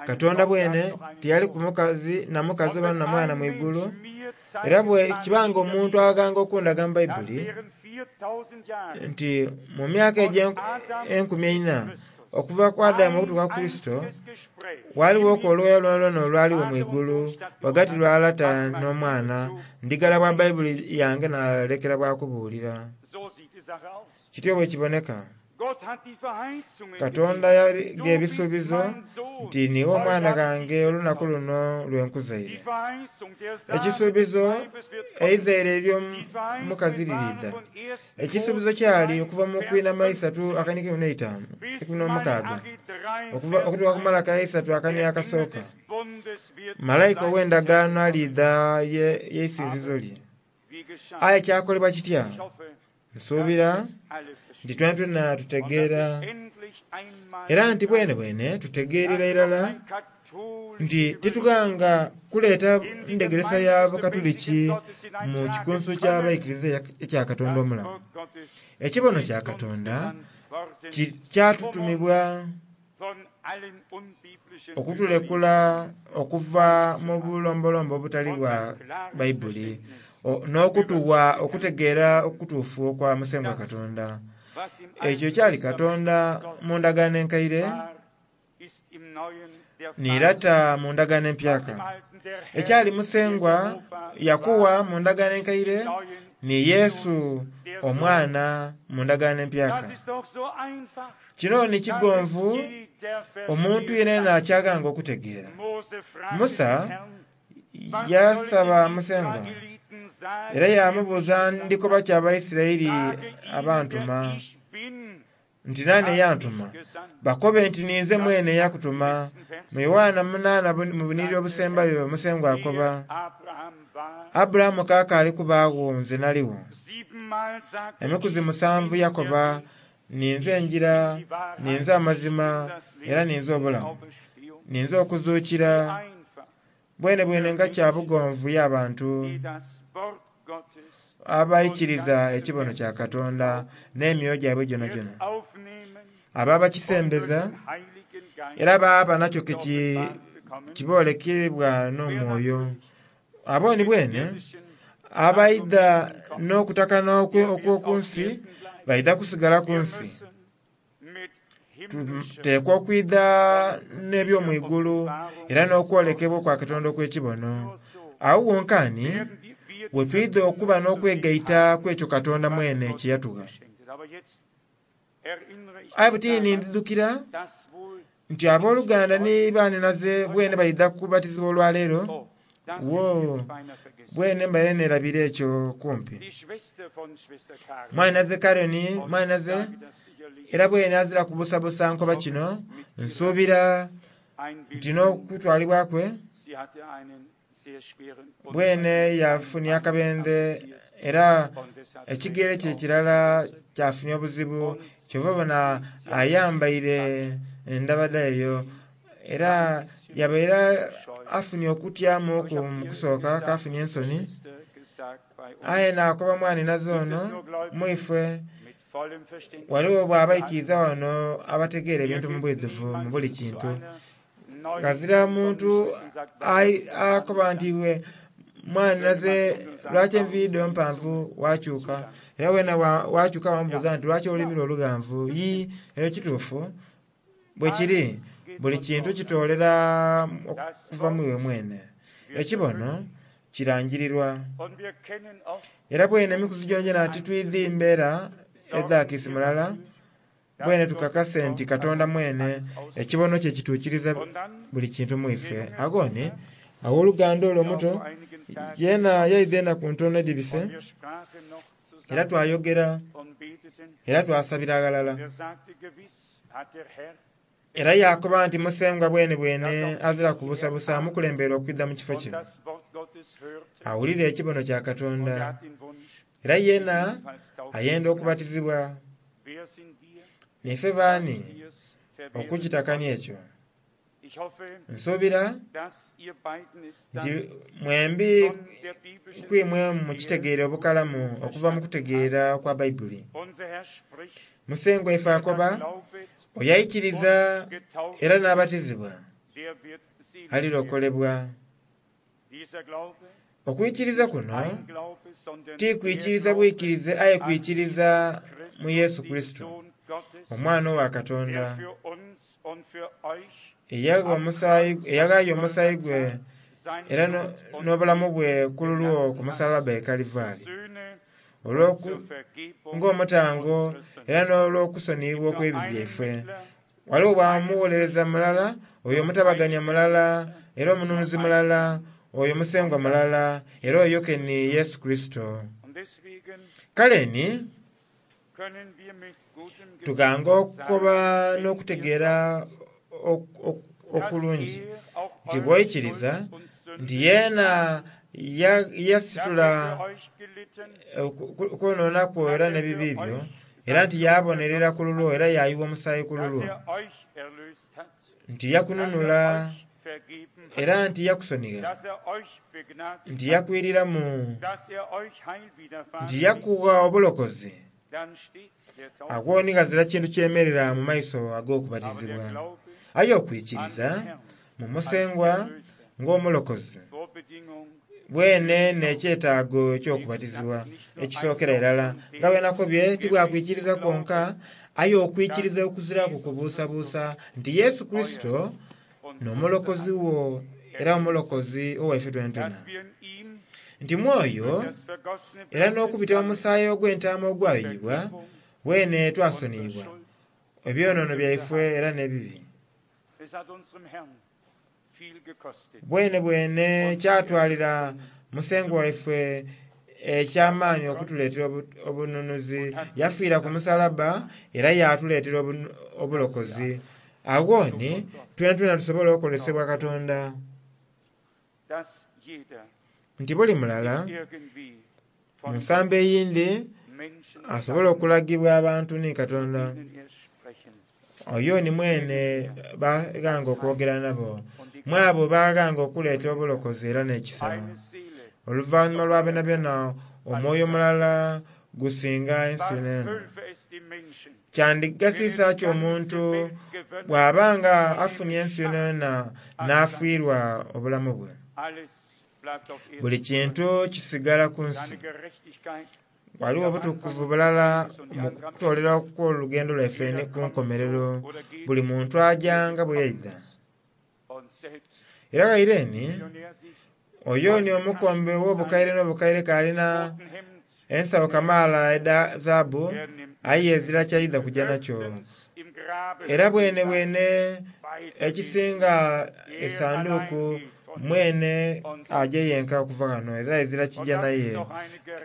Katonda bwene tiyaliku mukazi na mukazi oba na mwana mu igulu. Era bwe kiba nga omuntu aghanga okundaga mu Baibuli nti mu myaka enkumi eina okuva ku Adamu okutuuka ku Kurisito, ghalighoku olughaya lwonalwona olwaligho mu igulu ghagati lwa Lata n'Omwana, ndigala bwa Baibuli yange naalekera bwa kubuulira. Kityo bwe kiboneka. Katonda yagha ebisuubizo nti niiwe omwana ghange olunaku luno lwe nkuzaire. Ekisuubizo eizaire ery'omukazi liriidha. Ekisuubizo kyali okuva mu kwinhama isatu akani ikumi n'omukaaga okutuuka ku Malaka isatu akani akasooka. Malaika ow'endagaano aliidha y'eisinzizo lye. Aye kyakolebwa kitya? Nsuubira nti twenatwena tutegeera era nti bwenebwene tutegeerera irala nti titughanga kuleeta ndhegeresa ya Bukatuliki mu kikunsu ky'abaikiriza ekya Katonda omulamu. Ekibono kya Katonda kyatutumibwa okutulekula okuva mu bulombolombo obutali bwa Baibuli n'okutuwa okutegeera okutuufu okwa Musengwa Katonda. Ekyo kyali Katonda mu ndagaano enkaire ni Lata mu ndagaano empyaka. Ekyali Musengwa Yakuwa mu ndagaano enkaire ni Yesu Omwana mu ndagaano empyaka. Kino ni kigonvu omuntu yenayena kyaghanga okutegeera. Musa yasaba Musengwa era yaamubuuza ndikoba ki Abaisiraeli abantuma nti naani eyantuma? Bakobe nti ninze mwene eyakutuma. Mu Yoanna munaana mu bunhiriri obusembayo Musengwa akoba, Aburahamu kaakaali kubaagho nze naligho. Emikuzi musanvu yakoba, ninze engira, ninze amazima, era ninze obulamu. Ninze okuzuukira. Bwenebwene nga kya bugonvu y'abantu abaikiriza ekibono kya Katonda n'emyoyo gyaibwe gyonagyona, abo abakisembeza era baaba nakyo kiboolekebwa n'omwoyo. Abo ni bwene abaidha n'okutakana okw'oku nsi baidha kusigala ku nsi. Tuteekwa okwidha n'eby'omu igulu era n'okwolekebwa okwa Katonda okw'ekibono. Agho wonkaani We twidha okuba n'okwegaita ku ekyo Katonda mwene kye yatugha. Aye butini ndidhukira nti abooluganda ni baaninaze bwene baidha kubatizibwa olwaleero. Wo bwene mbaire neerabira ekyo kumpi. Mwaninaze Karen, mwaninaze era bwene azira kubusabusa nkoba kino, nsuubira nti n'okutwalibwa kwe bwene yafunye akabenje era ekigere kye kirala kyafunye obuzibu, kyova obona ayambaire endabada eyo era yabaire afunye okutyamuku mu kusooka kafunye ensoni. Aye naakoba mwaninaze ono mwifwe waliwo bw'abaikiriza wano abategeera ebintu mu bwidhuvu mu buli kintu. Ghazira muntu akoba nti iwe mwaninaze lwaki enviiri dho mpanvu wakyuka, era wena wakyuka wamubuuza nti lwaki olulimi lwo lughanvu. Yii, ekyo kituufu bwe kiri. Buli kintu kitoolera okuva mu iwe mwene. Ekibono kirangirirwa. Era bwene emikuzi gyongyona titwidhi mbeera edha kiisi mulala, bwene tukakase nti Katonda mwene ekibono kye kituukiriza buli kintu mu ife. Aghoni aw'oluganda olwo omuto yeena yaidha enaku ntono edhibise, era twayogera era twasabira ghalala. Era yaakoba nti Musengwa bwene bwene azira kubusabusa amukulembeire okwidha mu kifo kino. Awulire ekibono kya Katonda, era yeena ayenda okubatizibwa. Niife baani okukitakania ekyo? Nsuubira nti mwembi kwimwe mukitegeere obukalamu okuva mu kutegeera kwa Baibuli. Musengwa ife akoba, oyo aikiriza era n'abatizibwa alirokolebwa. Okwikiriza kuno ti kwikiriza bwikirize aye kwikiriza mu Yesu Kristo, Omwana owa Katonda, eyaghaayo omusaayi gwe era n'obulamu bwe ku lulwo ku musalaba e Kalivaali, ng'omutango era n'olw'okusoniyibwa okw'ebibi byaife. Waliwo bwamuwolereza mulala, oyo omutabaganya mulala, era omununuzi mulala, oyo Musengwa mulala, era oyo ke ni Yesu Kristo. Kale ni tughanga okukoba n'okutegeera okulungi nti bw'oikiriza nti yeena yasitula okwonoona kwo era n'ebibi byo, era nti yabonerera ku lulwo era yaayiwa omusaayi ku lulwo, nti yakununula era nti yakusonigha, nti yakwiriramu, nti yakugha obulokozi, agho ni ghazira kintu kyemerera mu maiso ag'okubatizibwa. Aye okwikiriza mu Musengwa ng'omulokozi bwene n'ekyetaago eky'okubatizibwa ekisookera irala. Nga bwe nakobye tibwakwikiriza kwonka, aye okwikiriza okuziraku kubuusabuusa nti Yesu Kristo n'omulokozi wo era omulokozi owaife twenatwena. Nti mwoyo era n'okubita mu musaayi ogw'entaama ogwayuyibwa, bwene twasoniyibwa ebyonoono byaife era n'ebibi. Bwene bwene kyatwalira Musengwa waife eky'amaani okutuleetera obununuzi. Yafiira ku musalaba era yaatuleetera obulokozi. Agho ni twenatwena tusobola okukolesebwa Katonda. Nti buli mulala mu nsambo eyindi asobola okulagibwa abantu ni Katonda. Oyo ni mwene baghanga okwogera nabo, mwabo baghanga okuleeta obulokozi era n'ekisa. Oluvannyuma lwa byonabyona omwoyo mulala gusinga ensi yonayona. Kyandigasiisa ki omuntu bw'aba nga afunye ensi yonayona n'afiirwa obulamu bwe? Buli kintu kisigala ku nsi. Waliwo obutukuvu bulala mu kutoolera okw'olugendo lwaife ku nkomerero. Buli muntu aja nga bwe yaidha. Era ghaire ni Oyo ni omukombe ow'obukaire n'obukaire k'alina ensawo kamaala edha zaabu, aye ezira kyaidha kugya nakyo. Era bwenebwene ekisinga esanduuku mwene aje yenka okuva ghano era ezira kigya naye.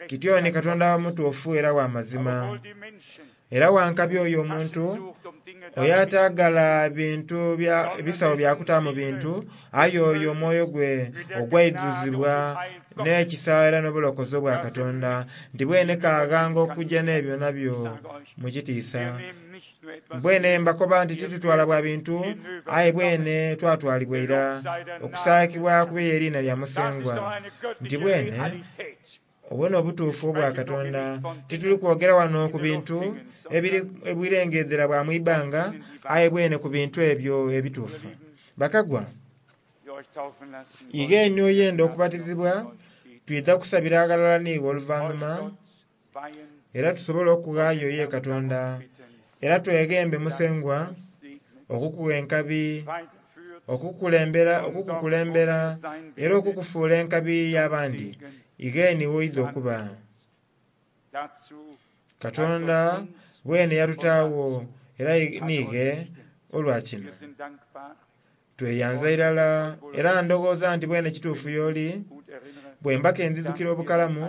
Kityo ni Katonda mutuufu era wa mazima. Era wankabi oyo omuntu oyo ataagala bintu bisawo bya kutaamu bintu, aye oyo omwoyo gwe ogwaidhuzibwa n'ekisa era n'obulokozi obwa Katonda, nti bwene kaghanga okujja n'ebyo nabyo mu kitiisa. Bwene mbakoba nti titutwala bwa bintu, aye bwene twatwalibwa ira okusaakibwa kube eriina lya Musengwa. Nti bwene obwo n'obutuufu obwa Katonda. Tituli kwogera wano ku bintu ebiri ebwirengedhera bwa mu ibanga, aye bwene ku bintu ebyo ebituufu. Bakagwa, ighe ni oyenda okubatizibwa, twidha kusabira aghalala n'iwe oluvannyuma, era tusobole okughaayo ye Katonda. Era tweghembe Musengwa okukugha enkabi, okukukulembera era okukufuula enkabi y'abandi. Ighe ni woidha okuba. Katonda bwene yatutaagho era niighe olwa kino. Tweyanza irala era ndowooza nti bwene kituufu y'oli, bwe mba ke ndidhukira obukalamu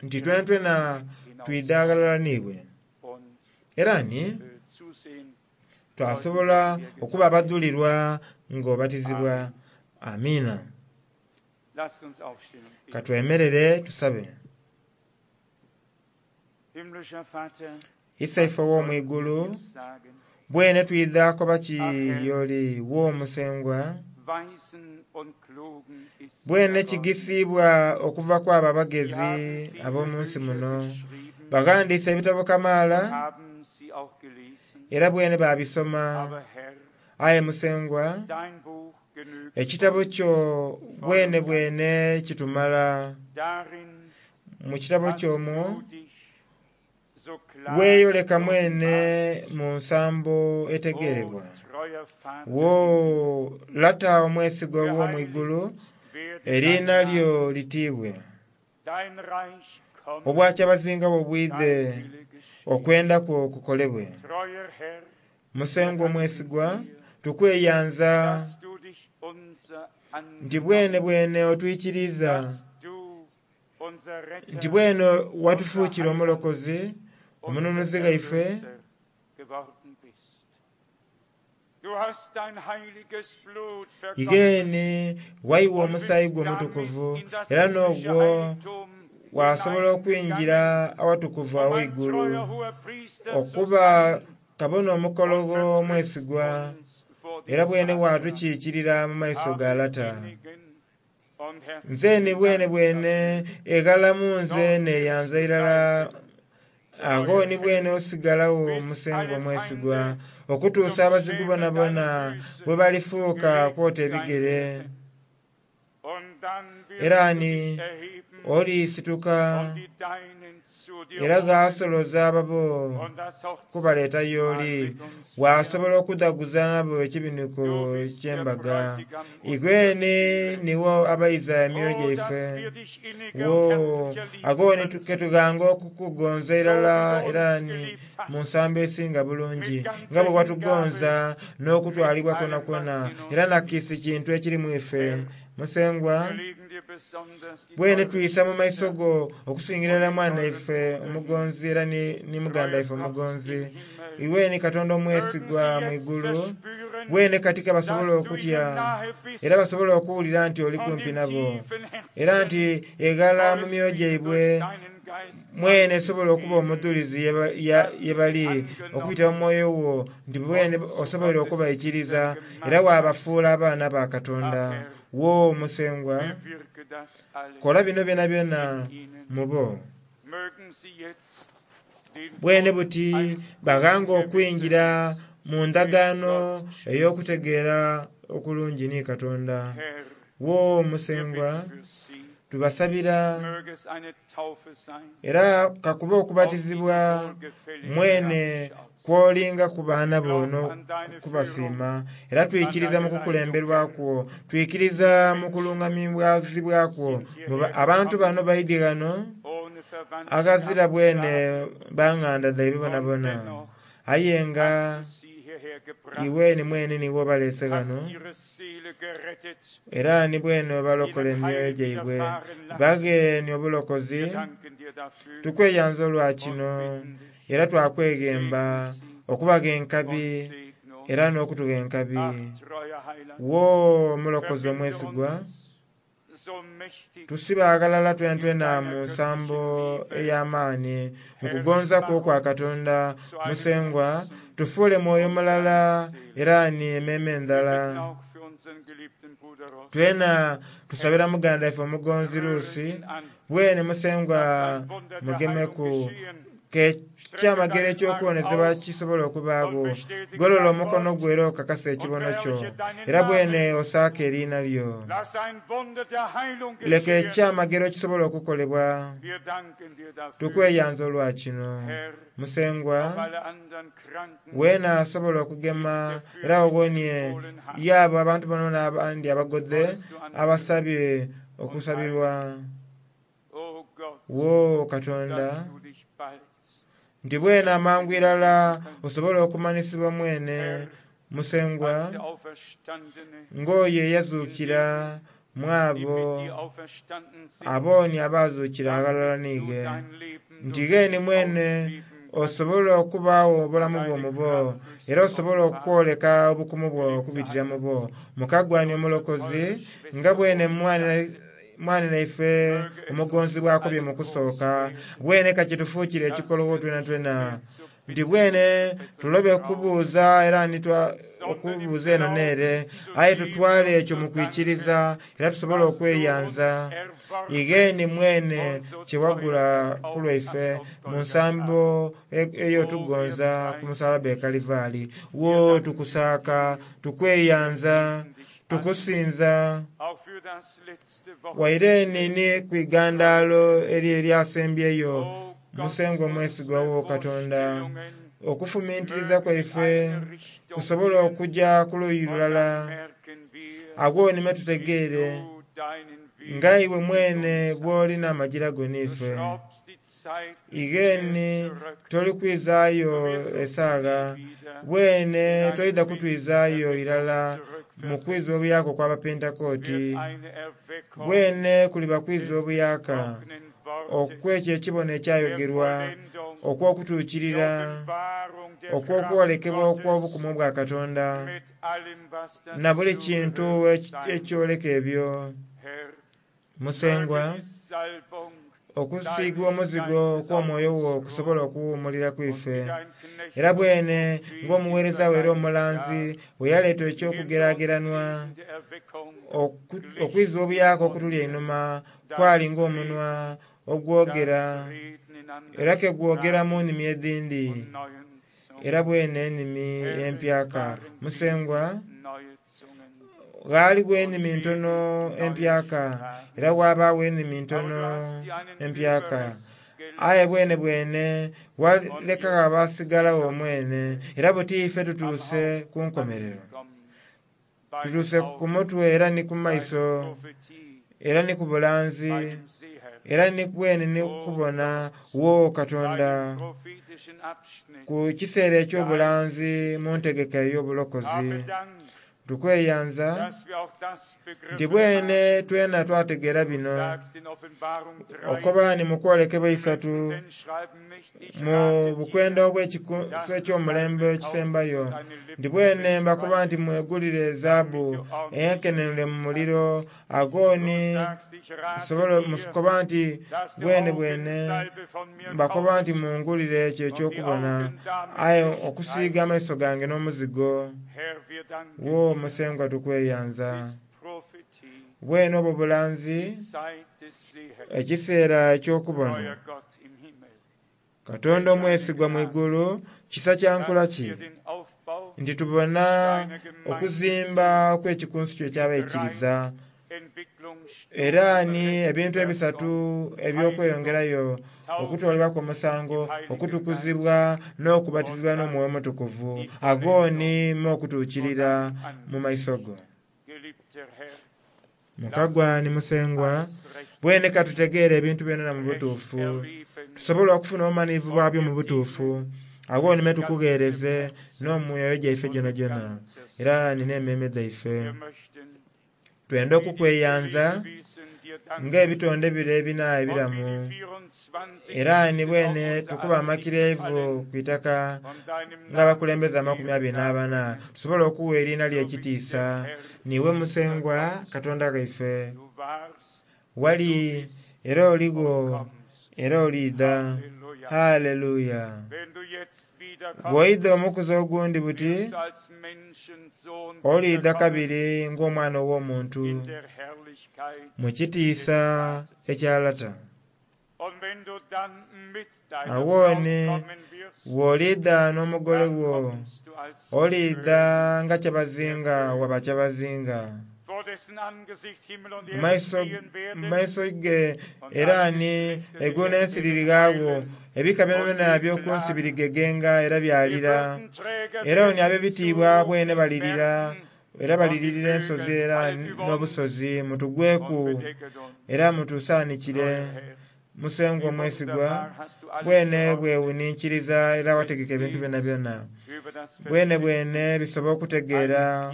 nti twenatwena twidha ghalala n'iwe. Era ni twasobola okuba abadhulirwa ng'obatizibwa. Amiina. Katwemerere tusabe. Isaife ow'omwigulu, bwene twidha koba ki y'oli wo Musengwa, bwene kigisiibwa okuva kwabo abagezi ab'omu nsi muno. Baghandiise ebitabo kamaala era bwene babisoma. Aye Musengwa, ekitabo kyo bwene bwene kitumala. Mu kitabo ky'omwo weeyoleka mwene mu nsambo etegeerebwa. Wo Lata omwesigwa ow'omwigulu, eriina lyo litiibwe. Obwakyabazinga bwo bwidhe, okwenda kwo kukolebwe. Musengwa omwesigwa, tukweyanza nti bwene bwene otwikiriza, nti bwene watufuukira omulokozi, omununuzi ghaife. Igheeni waiwa omusaayi gwo omutukuvu era n'ogwo wasobola okwingira awatukuvu agh'eigulu okuba kabona omukologho omwesigwa era bwene watukiikirira mu maiso ga Lata. Nze ni bwene bwene eghalamu nze neeyanza irala agho ni bwene osigalagho Musengwa omwesigwa okutuusa abazigu bonabona bwe balifuuka kwota ebigere. Era ni olisituka era ghasoloza ababo kubaleeta y'oli, wasobola okudhaguza nabo ekibinuko eky'embaga. Igwe ni niwo abaiza emyoyo gyaife. Wo agho ni ketughanga okukugonza irala era ni mu nsambo esinga bulungi, nga bwe watugonza n'okutwalibwa kwonakwona era na kiisi kintu ekiri mu ife. Musengwa, bwene twisa mu maiso go okusingira irala mwana ife omugonzi era ni muganda ife omugonzi. Iwe ni Katonda omwesigwa mu igulu, bwene katika basobole okutya era basobole okuwulira nti oli kumpi nabo, era nti eghala mu myoyo gyaibwe mwene esobola okuba omudhulizi ye bali okubita mu mwoyo wo nti bwene osoboire okubaikiriza era waabafuula abaana ba Katonda. Wo Musengwa, kola bino byonabyona mu bo. Bwene buti baghanga okwingira mu ndagaano ey'okutegeera okulungi ni Katonda. Wo Musengwa, tubasabira era kakuba okubatizibwa mwene Kwolinga ku baana bo n'okubasiima. Era twikiriza mu kukulemberwa kwo, twikiriza mu kulungamibwazibwa kwo. Abantu bano baidye ghano ohne Verwandtschaft aghazira bwene da banganda dhaibwe und bonabona, dennoch aye nga hast du sie hierher gebracht, iwe ni mwene niiwe obaleese ghano, hast ihre Seele gerettet, era ni bwene obalokola ihnen emyoyo Heil gyaibwe, widerfahren lassen. baghe obulokozi. Wir danken dir dafür Tukweyanza olwa und kino bitten dich, era twakweghemba okubaga enkabi und segne uns. era n'okutugha enkabi. Ach, treuer Heiland, Wo omulokozi verbinde omwesigwa, uns so mächtig tusibe aghalala in twenatwena mu deiner nsambo göttlichen Liebe, ey'amaani mu kugonza kwo kwa Katonda zu einem Musengwa, Herzen tufuule mwoyo und mulala einer Seele. era ni emmeeme Wir endala. bitten auch für unseren geliebten Bruder Ross. Twena tusabira muganda ife omugonzi Rühre Ruusi, ihn an, bwene Musengwa lass ein Wunder der Heilung mugemeku geschehen. ke Strecke kyamagero deinen Arm eky'okuwonezebwa aus kisobola und okubaagho. bestätige Golola dein omukono Wort gwo era okakase und ekibono kyo, verherrliche deinen era bwene Namen. osaake eriina lyo. Lass ein Wunder der Heilung Leka geschehen. ekyamagero kisobola okukolebwa. Wir danken dir dafür, Tukweyanza olwa kino. Herr. Musengwa, Auch alle anderen Kranken, weena asobola die ich okugema dir era fürbittlich owonie befohlen habe, yaabo abantu bano n'abandi abagodhe sollst du anrühren abasabye und heilen. okusabirwa. O Gott, Wo Katonda, dass du dich bald nti bwene amangu irala selbst kannst. osobola okumanisibwa mwene Herr, Musengwa als der Auferstandene ng'oyo in eyazuukira denen, mu die abo mit dir auferstanden sind, abooni abaazuukira dann aghalala wirst du niighe, dein Leben nti durch gheeni sie mwene ausleben können osobola okubaagho obulamu und bwo deine mu bo, Kraft durch era sie osobola offenbaren. okwoleka obukumu bwo Geliebter okubitira mu Heiland, bo. Mukagwani unsere omulokozi, teure nga Schwester bwene Ruth sagte, mwana naife möge es omugonzi uns bw'akobye allen mu groß kusooka, werden, bwene ka kitufuukire dass ekikolowo wir twena nicht twena, mehr zu nti bitten bwene und zu betteln tulobe brauchen, kubuuza era nitwa sondern im okubuuza eno n'ere, Glauben zu aye geben tutwale und ekyo zu mu danken, kwikiriza era tusobole was du uns okweyanza. erworben Igheeni mwene und so kye teuer wagula ku gekauft lwaife hast auf mu Golgatha. nsambo O, wir ey'otugonza ku preisen musalaba e dich, Kalivaali. wir Wo danken dir tukusaaka, dafür, wir tukweyanza, beten dich an, tukusinza. auch für das letzte Wort Waire nini ku igandaalo eri eryasembyeyo, O Gott, Musengwa omwesigwa unsere wo Katonda, Vorstellungen okufumintiriza mögen in kwaife eine Richtung kusobole gehen, okujja ku luuyi und dann lulala, merken wir, agwo nime wie tutegeere du deinen nga Weg iwe mit mwene uns hast. bw'olina amagira go Du n'ife. schraubst die Zeit nicht mehr Igheeni zurück. tolikwizaayo Du wirst uns esaagha, nie wieder bwene in eine tolidda kutwizaayo Pfingsterweckung irala mu kwiza zurückversetzen. obuyaka okw'Abapentekooti. Wird eine Erweckung Bwene kuliba kwiza des obuyaka gesprochenen Wortes, okw'ekyo ekibono der ekyayogerwa, Vollendung, der okw'okutuukirira, Offenbarung der Kraft okw'okwolekebwa Gottes okw'obukumu bwa Katonda, mit allem, was na buli kintu dazugehört sein wird. ekyoleka ebyo. Herr, Musengwa, möge die Salbung okusiigwa deines omuzigo Geistes auf kw'omwoyo wo uns kusobola ruhen okuwummulira ku und ife. wie dein Knecht Era und bwene Prophet ng'omuweereza we era über dein omulanzi Jahr, bwe yaleeta gib uns ekyokugeraageranwa, in der Erweckung okwiza Licht obuyaka im okutuli Munde, einhuma kwali das ng'omunwa Reden, ogwogera, das Reden in era anderen ke gwogeramu Sprachen nnimi edhindi, und neuen era Zungen. bwene ennimi Herr, es empyaka. waren wenige Musengwa, neue Zungen ghaaligho und ennimi wenige ntono neue empyaka, Sprachen. era ghabaagho ennimi Aber ntono du hast dir einen empyaka. Überrest Aye bwene gelassen bwene und walekagho jetzt abaasigalawo sind wir mwene, era buti ife am tutuuse Haupt ku nkomerero. angekommen, bei den Tutuuse ku Augen, mutwe era ni ku bei der maiso, Prophetie, era ni ku bulanzi, bei dem Seher. era ni bwene ni O kubona Gott, wo bei Katonda dem prophetischen Abschnitt ku kiseera der eky'obulanzi mu ntegeka Heilsgeschichte. ey'obulokozi. Habe Dank, Tukweyanza dass wir auch das nti begriffen bwene haben. twena twategeera Du bino, sagst in Offenbarung 3, okuba ni mu kwolekebwa die isatu Menschen schreiben nicht, ich mu rate bukwenda dir, obw'ekikunsu dass du eky'omulembe Salbe kaufst ekisembayo, und deine nti Lippen bwene mbakuba nti bestreichst, mwegulire damit ezaabu du ordentlich enkenenule mu sehen muliro, kannst. Du agooni sagst, ich rate nsobole dir, mukoba nti dass du bwene bwene Augensalbe von mir mbakoba nti kaufest mungulire ekyo und die eky'okubona, Augen damit aye okusiiga amaiso bestreichst. gange n'omuzigo. Herr, wir danken Wo dir. Musengwa tukweyanza. Ist Prophetie, Bwene obwo bulanzi, die Zeit des Sehers, ekiseera eky'okubona. treuer Gott im Himmel. Katonda Welch eine omwesigwa mu Gnade, igulu, kisa kya nkola dass ki wir den Aufbau nti tubona deiner Gemeinde okuzimba sehen, kw'ekikunsu kyo die eky'abaikiriza Entwicklung Era ni ebintu ebisatu eby'okweyongerayo: okutoolebwaku omusango, okutukuzibwa, n'okubatizibwa n'Omwoyo Omutukuvu. Ago ni mu okutuukirira mu maiso go. Mukagwa ni Musengwa, bwene ka tutegeere ebintu byonana mu butuufu, tusobole okufuna obumanhirivu bwabyo mu butuufu. Agho ni me tukugheereze n'omwoyo gyaife gyonagyona era ni n'emmeeme dhaife. Twenda okukweyanza ng'ebitonde bire ebina ebiramu, era ni bwene tukuba amakirevu ku itaka ng'abakulembeze 24, tusobole okuwa eriina lyo ekitiisa. Niiwe Musengwa Katonda ghaife, wali era oligho era oliidha. Haleluya! Bw'oidha omukuzi ogundi buti, oliidha kabiri ng'Omwana ow'Omuntu mu kitiisa ekya Lata. Agho ni bw'oliidha n'omugole wo, oliidha nga kyabazinga wa bakyabazinga. Mu maiso ge era ni eigulu n'ensi lirighagho, ebika byonabyona eby'oku nsi birigegenga era byalira. Era oni ab'ebitiibwa bwene balirira, era baliririra ensozi era n'obusozi. Mutugweku era mutusaanikire. Musengwa omwesigwa, bwene bwewuninkiriza era wategeka ebintu byonabyona. Bwene bwene bisobola okutegeera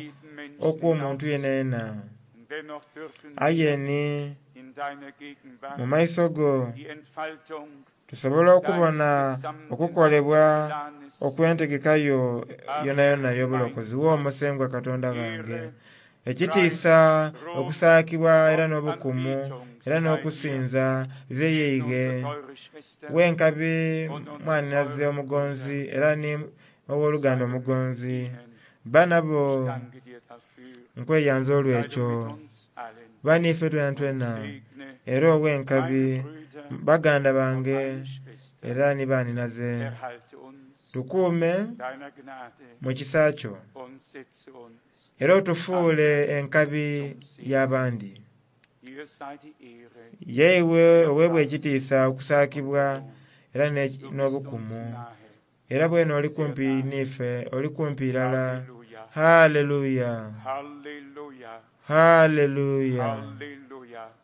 okw'omuntu yenayena. Aye ni mu maiso go tusobola okubona okukolebwa okw'entegeka yo yonayona ey'obulokozi. Wo Musengwa Katonda ghange, ekitiisa, okusaakibwa era n'obukumu era n'okusinza bibe yeighe. Wenkabi mwanhinaze omugonzi era ni ow'oluganda omugonzi, ba nabo nkweyanza olw'ekyo. Ba n'ife twenatwena era ow'enkabi baganda bange era ni banhinaze. Tukuume mu kisa kyo era otufuule enkabi y'abandi. Yeiwe oweebwa ekitiisa, okusaakibwa era n'obukumu. Era bwene oli kumpi n'ife, oli kumpi irala. Haleluya! Haleluya!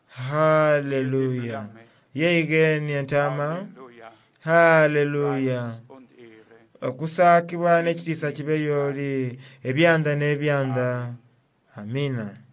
Haleluya! Yeighe ni entaama. Haleluya! Okusaakibwa n'ekitiisa kibe y'oli ebyanda n'ebyanda. Amiina.